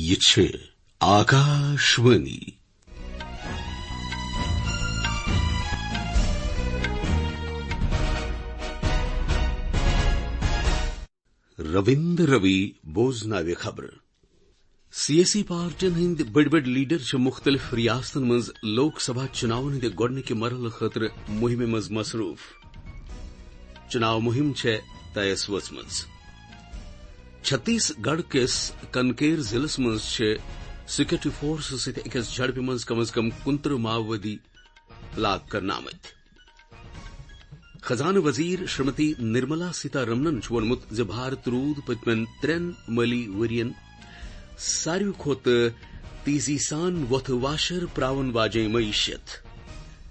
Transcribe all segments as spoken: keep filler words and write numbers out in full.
یہِ چھِ آکاشوانی۔ رٔوِندر روی بوزناوِ خبرٕ۔ سیٲسی پارٹین ہٕنٛدۍ بٔڑۍ بٔڑۍ لیڈر چھِ مُختٔلِف ریاستن منٛز لوک سبھا چُناون ہٕنٛدِ گۄڈٕنِکہِ مرحلہٕ خٲطرٕ مُہِمہِ منٛز مصروٗف۔ چُناو مُہِم چھےٚ طیَس وٲژمٕژ۔ چھتیس گڑھ کِس کنکیر ضلعس منٛز چھِ سیکورٹی فورسز سۭتۍ أکِس جھڑپہِ منٛز کم از کم کُنترٕہ ماؤوٲدی ہلاک کرنہٕ آمٕتۍ۔ خزانہٕ وزیر شریمتی نرملا سیتارمنن چھُ ووٚنمُت زِ بھارت روٗد پٔتمٮ۪ن ترٛٮ۪ن مٲلی ؤرین ساروی کھۄتہٕ تیزی سان وۄتھٕ واشر پراون واجیٚنۍ معیشت۔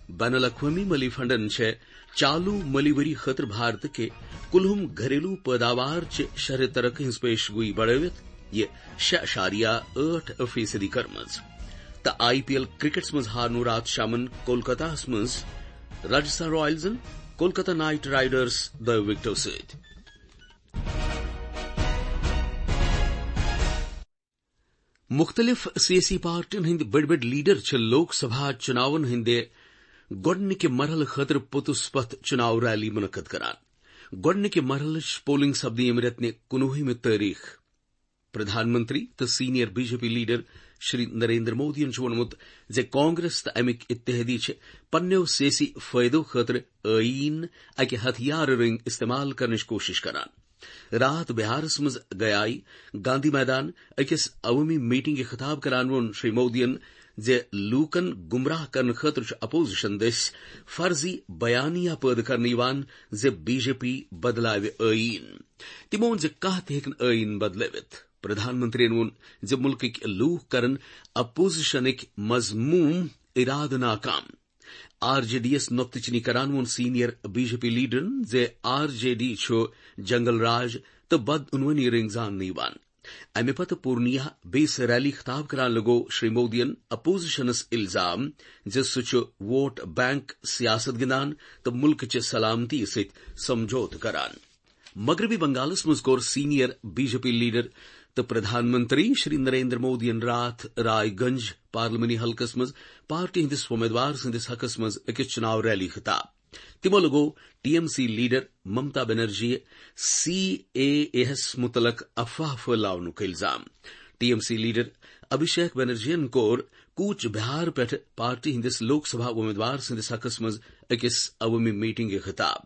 بین الاقوٲمی مٲلی فنڈن چھےٚ چالو مٲلی ؤری خٲطرٕ بھارت کہِ کُلہُم گھریلو پٲداوار چہِ شرح ترقی ہٕنٛز پیش گویی بڑٲوِتھ یہِ شےٚ اعشاریہ ٲٹھ فیصدی کٔرمٕژ۔ تہٕ آئی پی ایل کرکٹس منٛز ہارنو راتھ شامن کولکتہس منٛز راجستھان رائلزن کولکتہ نائٹ رائیڈرز دۄیو وکٹو سۭتۍ۔ مُختٔلِف سیٲسی پارٹین ہٕنٛدۍ بٔڑۍ بٔڑۍ لیڈر چھِ لوک سبھا چُناون ہٕنٛدِ گۄڈٕنِکہِ مرحلہٕ خٲطرٕ پوٚتُس پتھ چُناو ریلی منعقد کران۔ گۄڈٕنِکہِ مرحلٕچ پولنگ سپدِ ییٚمہِ رٮ۪تہٕ نہِ کُنوُہمہِ تٲریخ۔ پردھان منتری تہٕ senior B J P leader Shri Narendra مودیَن چھُ ووٚنمُت زِ کانگریس تہٕ اَمِکۍ اتحادی چھِ پننیو سیٲسی فٲیدو خٲطرٕ ٲییٖن اکہِ ہتھیارٕ رٔنگۍ استعمال کرنٕچ کوٗشش کران۔ راتھ بہارس منٛز گیائی گاندھی میدان أکِس عوٲمی میٹنگہِ خطاب کران ووٚن شری مودیَن زِ لوٗکن گمراہ کرنہٕ خٲطرٕ چھُ اپوزیشن دٔسۍ فرضی بیانیہ پٲدٕ کرنہٕ یِوان زِ بی جے پی بدلاوِ ٲییٖن۔ تِمو ووٚن زِ کانٛہہ تہِ ہیٚکہِ نہٕ ٲییٖن بدلٲوِتھ۔ پردھان منتریَن ووٚن زِ مُلکٕکۍ لوٗکھ کرن اپوزیشنٕکۍ مذموم ارادٕ ناکام۔ آر جے ڈی یَس نۄقطہٕ چینی کران ووٚن سینئر بی جے پی لیڈرن زِ آر جے ڈی چھُ جنگل راج تہٕ بدعنوٲنی رٔنگۍ زاننہٕ یِوان۔ اَمہِ پتہٕ پورنیا بیٚیِس ریلی خطاب کران لگوو شری مودیَن اپوزیشنس الزام زِ سُہ چھُ ووٹ بینک سیاست گِنٛدان تہٕ مُلکٕچہِ سلامتی سۭتۍ سمجھوتہٕ کران۔ مغربی بنگالس منٛز کوٚر senior B J P leader تہٕ پردھان منتری شری نریندر مودیَن راتھ رائے گنج پارلیمانی حلقس منٛز پارٹی ہٕنٛدِس وۄمیدوار سٕنٛدِس حقس منٛز أکِس چُناو ریلی خطاب۔ تِمو لگوو T M C leader Mamata Banerjee C A A ہَس مُتعلق افواہ پھٲلاونُک الزام۔ T M C leader Abhishek بنرجیَن کوٚر کوچ بہار پٮ۪ٹھ پارٹی ہٕنٛدِس لوک سبھا وۄمیدوار سٕنٛدِس حقس منٛز أکِس عوٲمی میٹنگہِ خطاب۔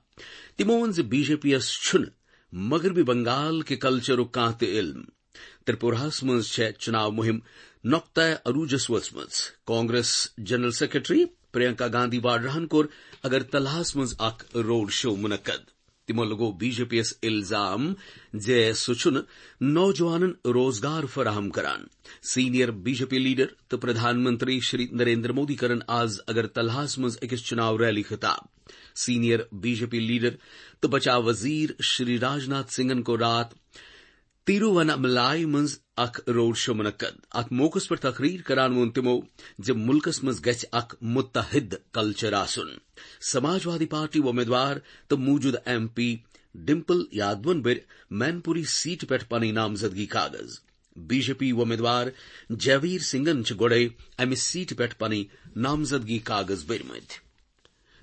تِمو ووٚن زِ بی جے پی یَس چھُنہٕ مغربی بنگال کہِ کلچرُک کانٛہہ تہِ علم۔ ترپوراہَس منٛز چھےٚ چُناو مُہِم نۄقطہ عروجس وٲژمٕژ۔ کانگریس جنرل سیکرٹری پرینکا گاندھی واڈراہَن کوٚر اگرتلاہَس منٛز اکھ روڈ شو منعقد۔ تِمو لگوو بی جے پی یَس الزام زِ سُہ چھُنہٕ نوجوانن روزگار فراہم کران۔ Senior B J P leader تہٕ پردھان منتری شری نریندر مودی کرن آز اگرتلاہَس منٛز أکِس چُناو ریلی خطاب۔ Senior B J P leader تہٕ بچاو وزیر شری راجناتھ سنگھن کوٚر راتھ تیرووناملائی منٛز اکھ روڈ شو منعقد۔ اتھ موقعس پٮ۪ٹھ تقریر کران ووٚن تِمو زِ مُلکس منٛز گژھِ اکھ متحد کلچر آسُن۔ سماجوادی پارٹی وۄمیدوار تہٕ موجودٕ ایم پی ڈمپل یادون بٔرۍ مین پوری سیٹہِ پٮ۪ٹھ پنٕنۍ نامزدگی کاغذ۔ بی جے پی وۄمیدوار جیویر سنگھن چھِ گۄڈَے امہِ سیٹہِ پٮ۪ٹھ پنٕنۍ نامزدگی کاغذ بٔرمٕتۍ۔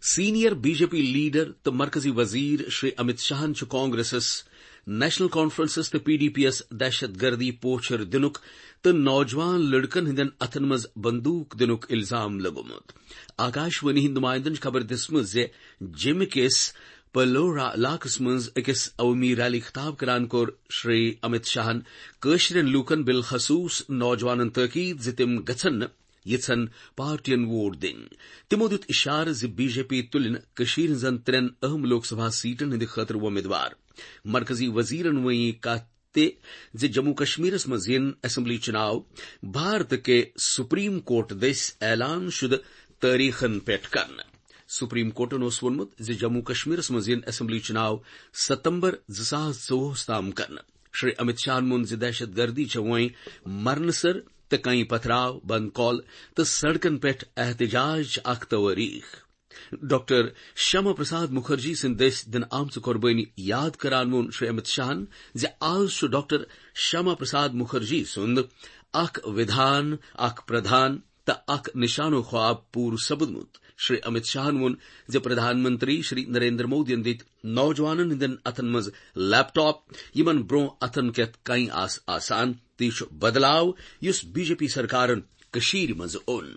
Senior B J P leader تہٕ مرکزی وزیر شری امت شاہن چھُ کانگریسس، نیشنل کانفرنسس تہٕ پی ڈی پی یَس دہشت گردی پوچھر دِنُک تہٕ نوجوان لڑکن ہٕنٛدٮ۪ن اتھن منٛز بندوق دِنُک الزام لگومُت۔ آکاشوانی ہٕنٛدۍ نمائندن چھِ خبر دِژمٕژ زِ جیمہِ کِس پلورا علاقس منٛز أکِس عوٲمی ریلی خطاب کران کوٚر شری امت شاہن کٲشرٮ۪ن لوٗکن بالخصوص نوجوانن تٲکید زِ تِم گژھن نہٕ یژھن پارٹین ووٹ دِنۍ۔ تِمو دیُت اِشارٕ زِ بی جے پی تُلہِ نہٕ کٔشیٖرِ ہٕنٛزن ترٛٮ۪ن اہم لوک سبھا سیٹن ہٕنٛدِ خٲطرٕ وۄمیدوار۔ مرکزی وزیرن وۄنۍ یہِ کتھ تہِ زِ جموں کشمیرس منٛز یِن اسمبلی چُناو بھارت کہِ سپریم کورٹ دٔسۍ اعلان شدٕ تٲریخن پٮ۪ٹھ کرنہٕ۔ سپریم کورٹن اوس ووٚنمُت زِ جموں کشمیرس منٛز یِن اسمبلی چُناو ستمبر زٕ ساس ژوٚوُہس تام کرنہٕ۔ شری امت شاہن ووٚن زِ دہشت گردی چھےٚ وۄنۍ مرنہٕ سر تہٕ کئی پتھراو، بند کال تہٕ سڑکن پٮ۪ٹھ احتجاج چھِ اکھ توٲریخ۔ ڈاکٹر شیاما پرساد مُکھرجی سٕنٛدِ دٔسۍ دِنہٕ آمژٕ قۄربٲنی یاد کران ووٚن شری امت شاہن زِ آز چھُ ڈاکٹر شیاما پرساد مُکھرجی سُنٛد اکھ ودھان، اکھ پردھان تہٕ اکھ نشانو خواب پوٗرٕ سپُدمُت۔ شری امت شاہن ووٚن زِ پردھان منتری شری نریندر مودیَن دِتۍ نوجوانن ہٕنٛدٮ۪ن اتھن منٛز لیپ ٹاپ، یِمن برونٛہہ اتھن کٮ۪تھ کنہِ آسہٕ آسان، تہٕ یہِ چھُ بدلاو یُس بی جے پی سرکارن کٔشیٖرِ منٛز اوٚن۔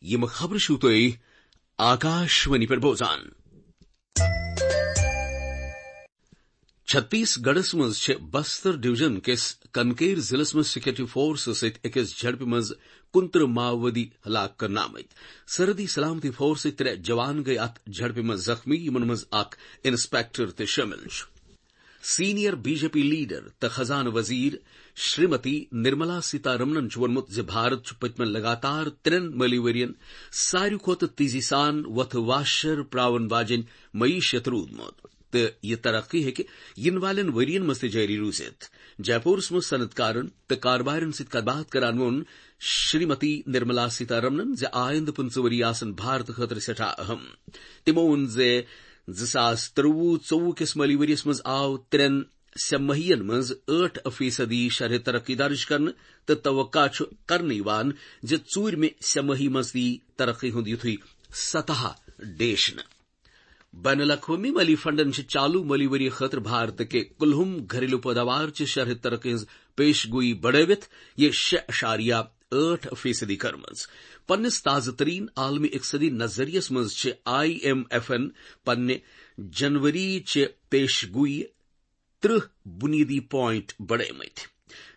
یِم خبرٕ چھِو تُہۍ آکاشوانی پٮ۪ٹھ بوزان۔ چھتیس گڑھس منٛز چھِ بستر ڈویژن کِس کنکیر ضلعس منٛز سیکورٹی فورسہٕ سۭتۍ أکِس جھڑپہِ منٛز کُنترٕہ ماؤوادی ہلاک کرنہٕ آمٕتۍ۔ سرحدی سلامتی فورسٕکۍ ترٛےٚ جوان گٔے اتھ جھڑپہِ منٛز زخمی، یِمن منٛز اکھ انسپکٹر تہِ شٲمِل چھُ۔ Senior B J P leader تہٕ خزانہٕ وزیر شریمتی نرملا سیتارمنن چھُ ووٚنمُت زِ بھارت چھُ پٔتمٮ۪ن لگاتار ترٛٮ۪ن مٲلی ؤرین ساروی کھۄتہٕ تیزی سان وۄتھٕ واشر پراون واجٮ۪ن معیشت روٗدمُت، تہٕ یہِ ترقی ہیٚکہِ یِنہٕ والٮ۪ن ؤرین منٛز تہِ جٲری روٗزِتھ۔ جے پورس منٛز صنعت کارن تہٕ کاربارٮ۪ن سۭتۍ کتھ باتھ کران ووٚن شریمتی نرملا سیتارمنن زِ آیندٕ پٕنٛژٕہ ؤری آسن بھارتہٕ خٲطرٕ سٮ۪ٹھاہ اہم۔ تِمو ووٚن زِ زٕ ساس ترٛۆوُہ ژوٚوُہ کِس مٲلی ؤریَس منٛز آو ترٛٮ۪ن سہ ماہین منٛز ٲٹھ فیصدی شرح ترقی درج کرنہٕ، تہٕ توقع چھُ کرنہٕ یِوان زِ ژوٗرمہِ سہ ماہی منٛز تہِ یی ترقی ہُنٛد یُتھُے سطح ڈیشنہٕ۔ بین الاقوٲمی مٲلی فنڈن چھِ چالو مٲلی ؤری خٲطرٕ بھارت کہِ کُلہُم گھریلو پٲداوار چہِ شرح ترقی ہٕنٛز پیش گویی بڑٲوِتھ یہِ شےٚ اعشاریہ ٲٹھ فیصدی کٔرمٕژ۔ پننِس تازٕ ترین عالمی اقتصادی نظریس منٛز چھِ آئی ایم ایفن پننہِ جنوری چہِ پیش گویی ترٕہ بنیادی پوائنٹ بڑٲومٕتۍ۔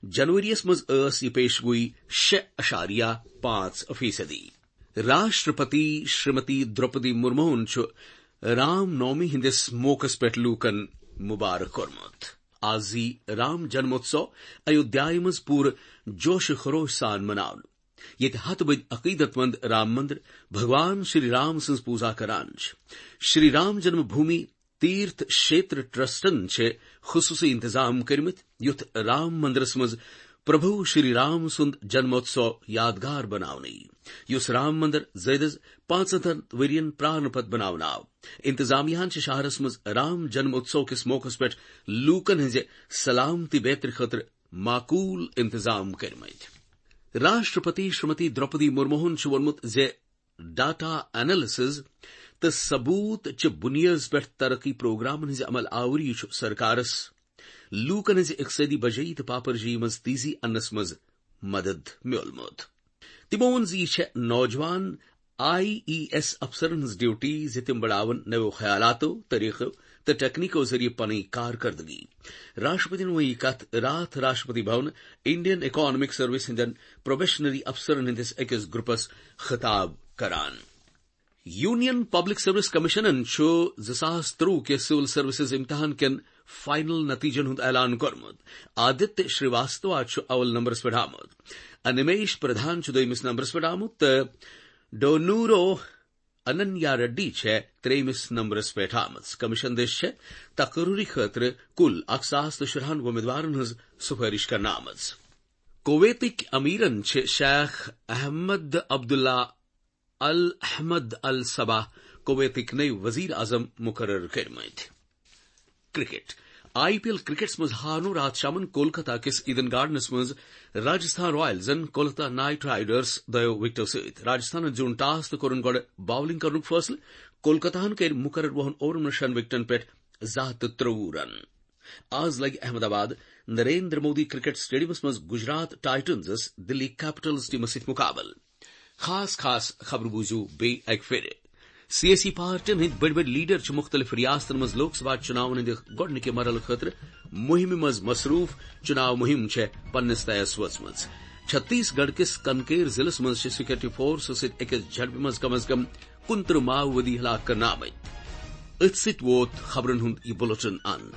جنوریَس منٛز ٲس یہِ پیش گویی شےٚ اعشاریہ پانٛژھ فیصدی۔ راشٹرپتی شریمتی دروپدی مرموہن چھُ رام نومی ہٕنٛدِس موقعس پٮ۪ٹھ لوٗکن مبارک کوٚرمُت۔ آز یی رام جنموتسو ایودھیایہِ منٛز پوٗرٕ جوش و خروش سان مناونہٕ، ییٚتہِ ہتہٕ بٔدۍ عقیدت مند رام مندر بھگوان شری رام سٕنٛز پوٗزا کران چھِ۔ شری رام جنم بھومی تیرتھ شیتر ٹرسٹن چھِ خصوصی انتظام کٔرمٕتۍ، یُتھ رام مندرس منٛز پربھو شری رام سُنٛد جنموتسو یادگار بناونہٕ یی، یُس رام مندر زٲیدس پانٛژترٕہن ؤرین پرارنہٕ پتہٕ بناونہٕ آو۔ انتظامیہ ہن چھِ شہرس منٛز رام جنموتسو کِس موقعس پٮ۪ٹھ لوٗکن ہٕنٛزِ سلامتی بیترِ خٲطرٕ معقول انتظام کٔرمٕتۍ۔ راشٹرپتی شریمتی دروپدی مرموہن چھُ ووٚنمُت زِ ڈیٹا انالیسز تہٕ ثبوت چہِ بُنیٲدس پٮ۪ٹھ ترقی پروگرامن ہٕنٛزِ عمل آوری چھُ سرکارس لوٗکن ہٕنٛزِ اقتصٲدی بجٲیی تہٕ پاپرجٲیی منٛز تیزی اننس منٛز مدد میولمُت۔ تِمو ووٚن زِ یہِ چھےٚ نوجوان آئی ای ایس افسرن ہٕنٛز ڈیوٹی زِ تِم بڑاون نویو خیالاتو، طریقو تہٕ ٹیکنیکو ذٔریعہٕ پنٕنۍ کارکردگی۔ راشٹرپتین ووٚن یہِ کتھ راتھ Rashtrapati Bhavan Indian economic service ہٕنٛدٮ۪ن پروبیشنری افسرن ہٕنٛدِس أکِس گروپس خطاب کران۔ یونین پبلک سروس کمیشنن چھُ زٕ ساس ترٛۆوُہ کِس سول سروسز امتحان کٮ۪ن فائنل نتیجن ہُنٛد اعلان کوٚرمُت۔ آدتیہ شریواستوا چھُ اول نمبرس پٮ۪ٹھ آمُت، انمیش پردھان چھُ دوٚیمِس نمبرس پٮ۪ٹھ آمُت تہٕ ڈونورو اننیا ریڈی چھےٚ ترٛیٚیمِس نمبرس پٮ۪ٹھ آمٕژ۔ کمیشن دٔسۍ چھےٚ تقرری خٲطرٕ کُل اکھ ساس تہٕ شُراہن وۄمیدوارن ہٕنٛز سفٲرش کرنہٕ آمٕژ۔ کویتٕکۍ امیرن چھِ شیخ احمد عبداللہ ال احمد ال صباح کویتٕکۍ نٔوۍ وزیر اعظم مقرر کٔرمٕتۍ۔ کرکٹ۔ آئی پی ایل کرکٹس منٛز ہارنو راتھ شامن کولکتہ کِس ایڈن گارڈنس منٛز راجستھان رائلزن کولکتہ نائٹ رائیڈرز دۄیو وکٹو سۭتۍ۔ راجستھانن زیوٗن ٹاس تہٕ کوٚرُن گۄڈٕ باؤلنگ کرنُک فٲصلہٕ۔ کولکتہن کٔرۍ مقرر وُہن اوورن منٛز شٮ۪ن وکٹن پٮ۪ٹھ زٕ ہتھ تہٕ ترٛۆوُہ رن۔ آز لگہِ احمد آباد نریندر مودی کرکٹ سٹیڈیمس منٛز گجرات ٹائٹنزس دلی کیپٹلز ٹیمس سۭتۍ مقابلہٕ۔ خاص خاص خبرٕ بوٗزِو بیٚیہِ اکہِ پھِرِ۔ سیٲسی پارٹین ہٕنٛدۍ بٔڑۍ بٔڑۍ لیڈر چھِ مُختٔلِف ریاستن منٛز لوک سبھا چُناون ہٕنٛدِ گۄڈٕنِکہِ مرحلہٕ خٲطرٕ مُہِمہِ منٛز مصروٗف۔ چُناو مُہِم چھےٚ پننِس طیَس وٲژمٕژ۔ چھتیس گڑھ کِس کنکیر ضلعس منٛز چھِ سیکورٹی فورسہٕ سۭتۍ أکِس جھڑپہِ منٛز کم از کم کُنترٕہ ماؤوادی ہلاک کرنہٕ آمٕتۍ۔ أتھۍ سۭتۍ ووت خبرن ہُنٛد یہِ بُلٹن اند۔